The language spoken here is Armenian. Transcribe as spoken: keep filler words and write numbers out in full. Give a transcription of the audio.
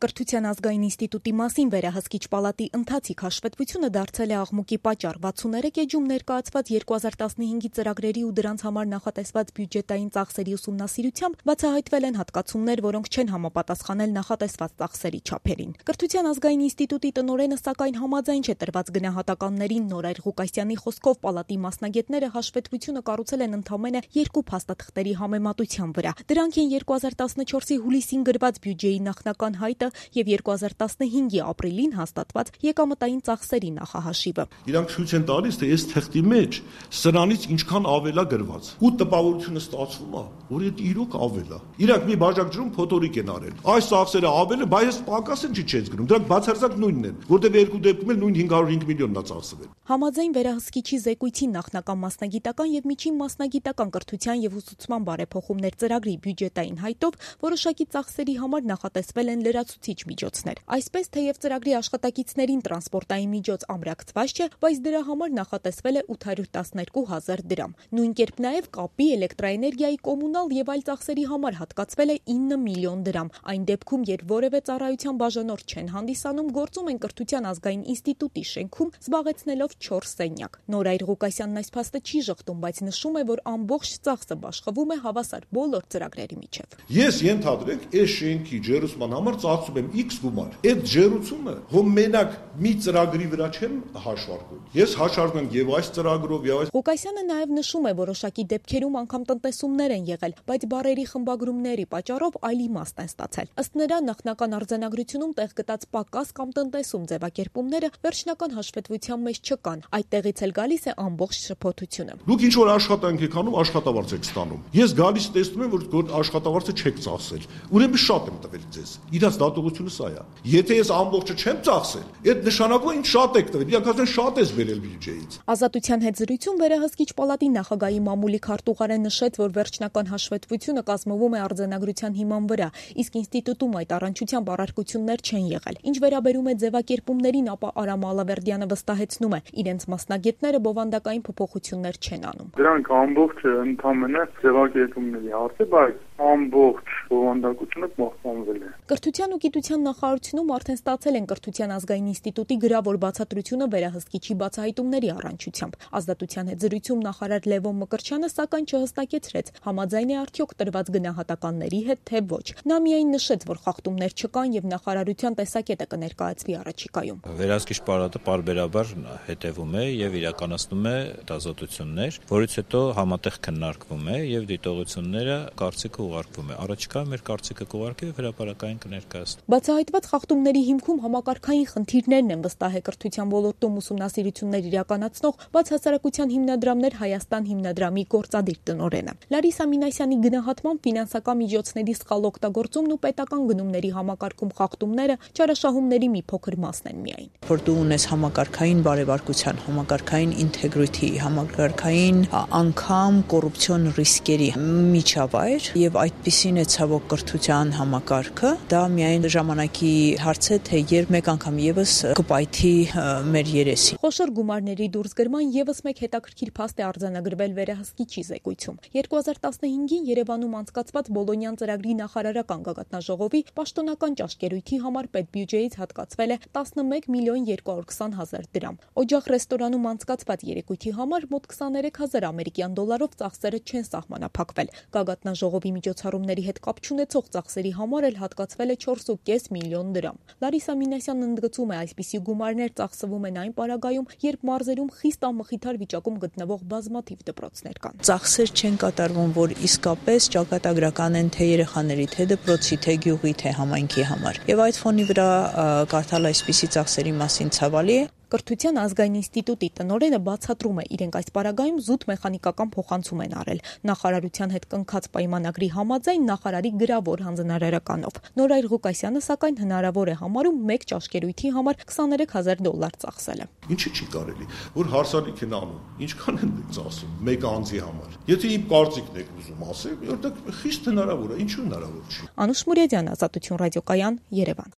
Կրթության ազգային ինստիտուտի մասին վերահսկիչ պալատի ընթացիկ հաշվետվությունը դարձել է աղմուկի պատճառ։ վաթսուններեք էջում ներկայացված երկու հազար տասնհինգի ծրագրերի ու դրանց համար նախատեսված բյուջետային ծախսերի ուսումնասիրությամբ բացահայտվել են հատկացումներ, որոնք չեն համապատասխանել նախատեսված ծախսերի չափերին։ Կրթության ազգային ինստիտուտի տնօրենը սակայն համաձայն չէ տրված գնահատականներին։ Նորայր Ղուկասյանի խոսքով պալատի մասնագետները հաշվետվությունը կառուցել են ընդամենը երկու փաստաթղթերի համեմատության վրա։ Դրանք են երկու հազար տասնչորսի հուլիսին գրված բյուջեի նախնական հայտը եւ երկու հազար տասնհինգի ապրիլին հաստատված եկամտային ծախսերի նախահաշիվը։ Իրանք ցույց են տալիս, թե այս թղթի մեջ սրանից ինչքան ավել է գրված։ Ու տպավորությունը ստացվում է, որ այդ իրոք ավել է։ Իրանք մի բաժակջրում փոթորիկ են արել։ Այս ծախսերը ավել է, բայց պակաս են չի չես գրում։ Դրանք բացարձակ նույնն են, որտեղ երկու դեպքում էլ նույն հինգ հարյուր հինգ միլիոնն է ծախսվել։ Համաձայն վերահսկիչի զեկույցի նախնական մասնագիտական եւ միջին մասնագիտական կրթության եւ ուսուցման բարեփոխումներ ծրագրի բյուջետային հայտով որոշակի ծախսերի համար նախատեսվել են լրացուցիչ միջոցներ։ Այսպես, թեև ծրագրի աշխատակիցներին տրանսպորտային միջոց ամրակցված չէ, բայց դրա համար նախատեսվել է ութ հարյուր տասներկու հազար դրամ։ Նույն կերպ նաև կապի, էլեկտրաէներգիայի, կոմունալ եւ այլ ծախսերի համար հատկացվել է ինը միլիոն դրամ։ Այն դեպքում, երբ որևէ ծառայության բաժանորդ չեն հանդիսանում, գործում են Կրթության ազգային ինստիտուտի շենքում, զբաղեցնելով չորս սենյակ։ Նորայր Ղուկասյանն այս փաստը չի ժխտում, բայց նշում է, որ ամբողջ ծախսը բաշխվում է հավասար բոլոր ծրագրերի միջև։ Ես ենթադրենք, այս շենքի ջերուսման համար ծախսում եմ X գումար։ Այդ ջերուցումը հո մենակ մի ծրագրի վրա չեմ հաշվարկում։ Ես հաշվարկում եմ եւ այս ծրագրով եւ այս։ Ղուկասյանը նաեւ նշում է, որոշակի դեպքերում անգամ տնտեսումներ են եղել, բայց բարերի խմբագրումների պատճառով այլ իմաստ են ստացել։ Ըստ նրա, նախնական արձանագրությունում տեղ գտած պակաս կամ տնտեսում ձևակերպումները վերջնական հաշվետվության մեջ չկան։ Այդտեղից էլ գալիս է ամբողջ շփոթությունը։ Դուք ինչ որ աշխատանք եք անում, աշխատավարձ եք ստանում։ Ես գալիս տեսնում եմ, որ աշխատավարձը չեք ծախսել։ Ուրեմն շատ եմ տվել ձեզ։ Իրաց դատողությունը սա է։ Եթե ես ամբողջը չեմ ծախսել, այդ նշանակում է ինձ շատ եք տվել։ Իրանք ասեն շատ ես բերել բյուջեից։ Ազատության հետ զրույցում վերահսկիչ պալատի նախագահի մամուլի քարտուղարեն նշեց, որ վերջնական հաշվետվությունը կազմվում է արձանագրության հիման վրա, իսկ ինստիտուտում այդ առնչությամբ առարկություններ չեն եղել։ Ինչ վերաբերում է ձևակերպումներին, ապա Արամ Ալավերդյանը վստահեցնում է, իրենց մասնագետները բովանդակային փոփոխություններ չեն անում։ Դրանք ամբողջը ընդհանրապես ձևակերպումների հարց է, բայց ամբողջ բովանդակությունը պահպանվել է։ Կրթության ու գիտության նախարարությունում արդեն ստացել են Կրթության ազգային ինստիտուտի գրավոր բացատրությունը վերահսկիչի բացահայտումների առնչությամբ։ Ազատության հետ զրույցում նախարար Լևոն Մկրտչյանը սակայն չհստակեցրեց, համաձայն է արդյոք տրված գնահատականների հետ, թե ոչ։ Նա միայն նշեց, որ խախտումներ չկան եւ նախարարության տեսակետը կներկայացվի առաջիկայում։ Վերահսկիչ պալատը պարբերաբար հետևում է եւ իրականացնում է դասատություններ, որից հետո համատեղ քննարկվում է եւ դիտողությունները կարծիքը ուղարկվում է։ Առաջիկայում մեր կարծիքը կուղարկի եւ հրապարակային կներկայացնի։ Բացահայտված խախտումների հիմքում համակարգային խնդիրներն են, վստահ է կրթության ոլորտում ուսումնասիրություններ իրականացնող բացհասարակության հիմնադրամներ Հայաստան հիմնադրամի գործադիր տնօրենը։ Լարիսա Մինասյանի գնահատմամբ ֆինանսական միջոցների սխալ օգտագործումն ու պետական գնումների համակարգում խախտումները չարաշահումների մի փոքր մասն են միայն։ Որ դու ունես համակարգային բարեվարկության, համակարգային ինտեգրիթի, համակարգային անգամ կոռուպցիոն ռիսկերի միջավայր եւ այդպիսին է ցավոք կրթության համակարգը, դա միայն ժամանակի հարց է, թե երբ մեկ անգամ եւս կպայթի մեր երեսին։ Խոշոր գումարների դուրսգրման եւս մեկ հետաքրքիր փաստ է արձանագրվել վերահսկիչի զեկույցում։ երկու հազար տասնհինգին Երևանում անցկացված Բոլոնյան ծրագրի նախարարական գագաթնաժողովի պաշտոնական ճաշկերույթի համար պետբյուջեից հատկացվել է տասնմեկ միլիոն երկու հարյուր քսան հազար դրամ։ Օջախ ռեստորանում անցկացված երեկույթի համար մոտ քսաներեք հազար ամերիկյան դոլարով ծախսերը չեն սահմանափակվել։ Գագաթնաժողովի միջոցառումների հետ կապ չունեցող ծախսերի համար էլ հատկացվել է չորս ու կես միլիոն դրամ։ Լարիսա Մինասյանն ընդգծում է, այսպիսի գումարներ ծախսվում են այն պարագայում, երբ մարզերում խիստ անմխիթար վիճակում գտնվող բազմաթիվ դպրոցներ կան։ Ծախսեր չեն կատարվում, որ իսկապես ճակատագրական են թե երեխաների, թե դպրոցի, թե գյուղի, թե համայնքի համար։ Եվ այդ ֆոնի վրա կարդալ այսպիսի ծախսերի մասին ցավալի է։ Կրթության ազգային ինստիտուտի տնօրենը բացատրում է, իրենք այս պարագայում զուտ մեխանիկական փոխանցում են արել նախարարության հետ կնքած պայմանագրի համաձայն նախարարի գրավոր հանձնարարականով։ Նորայր Ղուկասյանը սակայն հնարավոր է համարում մեկ ճաշկերույթի համար քսաներեք հազար դոլար ծախսելը։ Ինչի՞ չի կարելի, որ հարսանիք են անում, ինչքան են ծախսում մեկ անձի համար։ Եթե իմ կարծիքն եք ուզում ասել, որտեղ խիստ հնարավոր է, ինչու հնարավոր չի։ Անուշ Մուրեդյան, Ազատություն ռադիոկայան, Երևան։